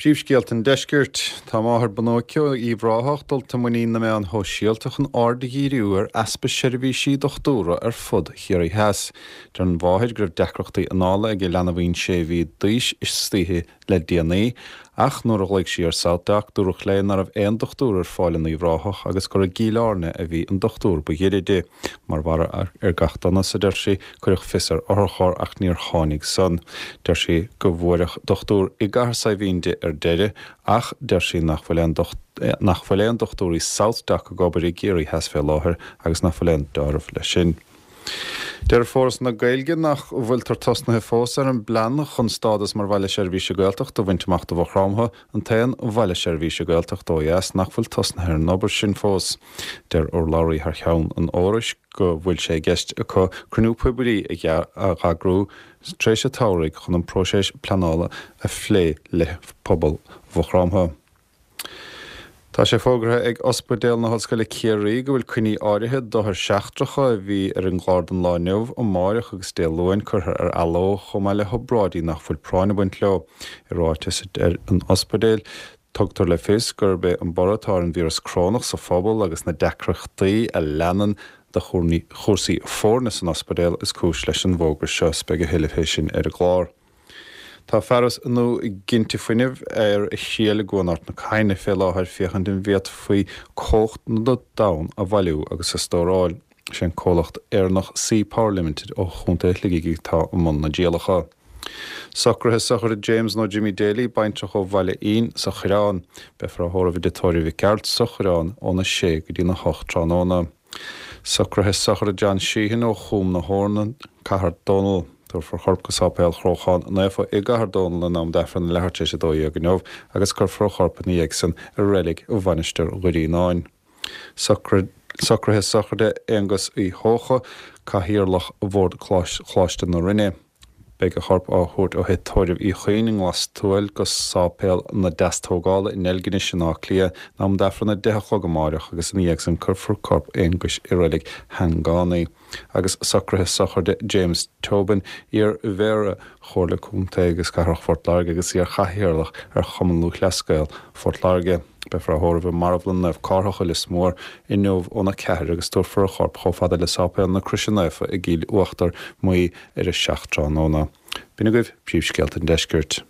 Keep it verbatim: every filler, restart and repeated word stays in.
Príomhscéalta an Deiscirt. Tá máthair b'nóice ó Uíbh Ráthach dulta i muinín na meán shóisialta chun aird a dhíriú ar easpa seirbhísí dochtúra ar fud Chiarraí Theas. Deir an mháthair go raibh deacrachtaí anála ag a leanbhín sé mhí d'aois istoíche le déanaí, ach nuair a ghlaoigh sí ar SouthDoc dúradh léi nach raibh aon dochtúir ar fáil in Uíbh Ráthach agus gur i gCill Airne a bhí an dochtúir ba ghaire di. Mar bharra ar gach donas, a deir sí, cuireadh fios ar otharcharr ach níor tháinig san. Deir sí go bhfuaireadh dochtúir i gCathair Saidhbhín di ar deireadh, ach deir sí nach bhfuil aon nach bhfuil aon dochtúirí SouthDoc ag obair i gCiarraí Theas fé láthair agus nach bhfuil aon dealramh leis sin. Deir Foras na Gaeilge nach bhfuiltear tosnaithe fós ar an bplean chun stádas mar bhaile seirbhíse Gaeltachta a bhaint amach do Mhaigh Chromtha, an t-aon bhaile seirbhíse Gaeltachta ó dheas nach bhfuil tosnaithe ar an obair sin fós. Deir urlabhraí thar cheann an Fhorais go bhfuil sé i gceist acu cruinniú poiblí a eagrú tar éis an tsamhraidh chun an próiseas pleanála a phlé le pobal Mhaigh Chromtha. Tá sé fógartha ag Ospidéal na hOllscoile Ciarraí go bhfuil coinní áirithe d'othair seachtracha a bhí ar an gclár don lá inniu, amárach agus Dé Luain curtha ar athló chomh maith le hobráidí nach bhfuil práinn ag baint leo. I ráiteas ar an ospidéal, tugtar le fios gurb é an borradh atá ar an víreas corónach sa phobal agus na deacrachtaí a leanann de chúrsaí foirne san ospidéal is cúis leis an bhfógra seo. Beidh a thuilleadh fé sin ar an gclár. Tá fearas nua ginte fuinnimh ar a thriail i gCuan Ard na Caithne fé láthair féachaint an bhféadfaí cumhacht na dtonn a bhailiú agus a stóráil. Sé an comhlacht Éireannach Sea Power Limited ó Chontae Shligigh atá i mbun na dtrialacha. Socruithe sochraide James nó Jimmy Daly, baintreach ó Bhaile Fhinn sa Choireán. Beifear á thórramh i dtigh tórraimh Mhic Gearailt sa Choireán óna sé go dtí na hocht tráthnóna. Socruithe sochraide John Sheehan ó Chúm na hEorna, Cathair Dónall. Tabharfar a chorp go Sáipéal Chróchán Naofa i gCathair Dónall in am d'Aifreann a leathuair tar éis a dó dhéag inniu agus cuirfear a chorp ina dhiaidh san i reilig Mhainistir Dhoire Fhíonáin. Socruithe sochraide Aonghus Uí Heocha, Cathaoirleach Bhord Choláiste na Rinne. Beidh a chorp á thabhairt ó thigh tórraimh Uí Chuinn i nGlas Tuathail go Sáipéal na Deastógála in Deilginis in Áth Cliath in am d'Aifreann a deich a chlog amárach agus ina dhiaidh san cuirfear corp Aonghuis i reilig Shangánaí. Agus socruithe sochraide James Tobin, iar-mhéara Chomhairle Contae agus Cathrach Phort Láirge agus iar-chathaoirleach ar Chumann Lúthchleas Gael Phort Láirge. Beifear á thórramh i Marbhlann Naomh Cárthach i Lios Mór inniu óna ceathair agus tabharfar a chorp chomh fada le Sáipéal na Croise Naofa i gCill Uachtar Maí ar a seacht tráthnóna. B'in agaibh príomhscéalta an deiscirt.